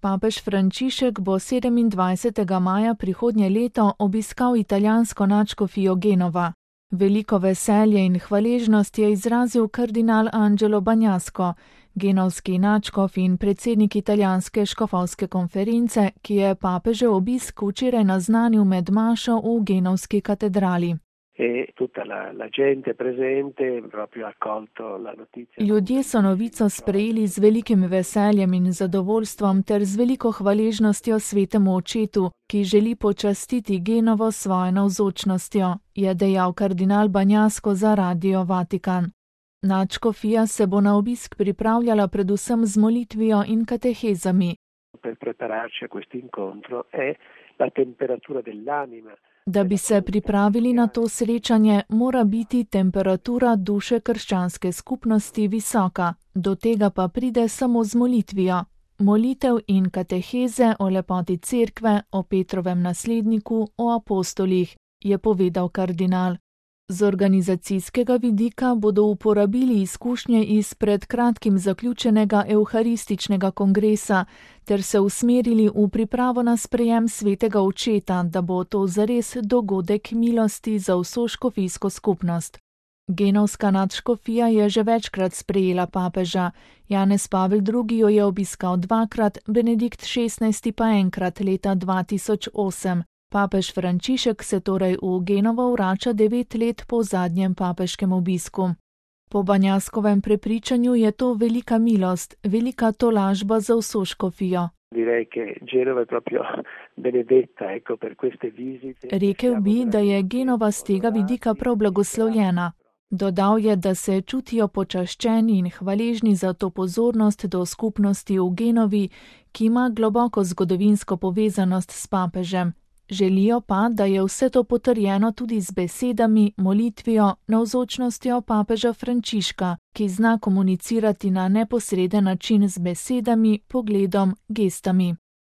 Papež Frančišek bo 27. maja prihodnje leto obiskal italijansko nadškofijo Genova. Veliko veselje in hvaležnost je izrazil kardinal Angelo Bagnasco, genovski nadškof in predsednik italijanske škofovske konference, ki je papežev obisk včeraj naznanil med mašo v genovski katedrali. Ljudje so novico sprejeli z velikim veseljem in zadovoljstvom ter z veliko hvaležnostjo svetemu očetu, ki želi počastiti Genovo s svojo navzočnostjo, je dejal kardinal Bagnasco za Radio Vatikan. Nadškofija se bo na obisk pripravljala predvsem z molitvijo in katehezami. Da bi se pripravili na to srečanje, mora biti temperatura duše krščanske skupnosti visoka, do tega pa pride samo z molitvijo. Molitev in kateheze o lepoti cerkve, o Petrovem nasledniku, o apostolih, je povedal kardinal. Z organizacijskega vidika bodo uporabili izkušnje iz pred kratkim zaključenega evharističnega kongresa ter se usmerili v pripravo na sprejem svetega očeta, da bo to zares dogodek milosti za vso škofijsko skupnost. Genovska nadškofija je že večkrat sprejela papeža. Janez Pavel II. Jo je obiskal dvakrat, Benedikt XVI. Pa enkrat leta 2008. Papež Frančišek se torej v Genovo vrača 9 let po zadnjem papežkem obisku. Po Bagnascovem prepričanju je to velika milost, velika tolažba za vso škofijo. Rekel bi, da je Genova z tega vidika prav blagoslovljena. Dodal je, da se čutijo počaščeni in hvaležni za to pozornost do skupnosti v Genovi, ki ima globoko zgodovinsko povezanost s papežem. Želijo pa, da je vse to potrjeno tudi z besedami, molitvijo, navzočnostjo papeža Frančiška, ki zna komunicirati na neposreden način z besedami, pogledom, gestami.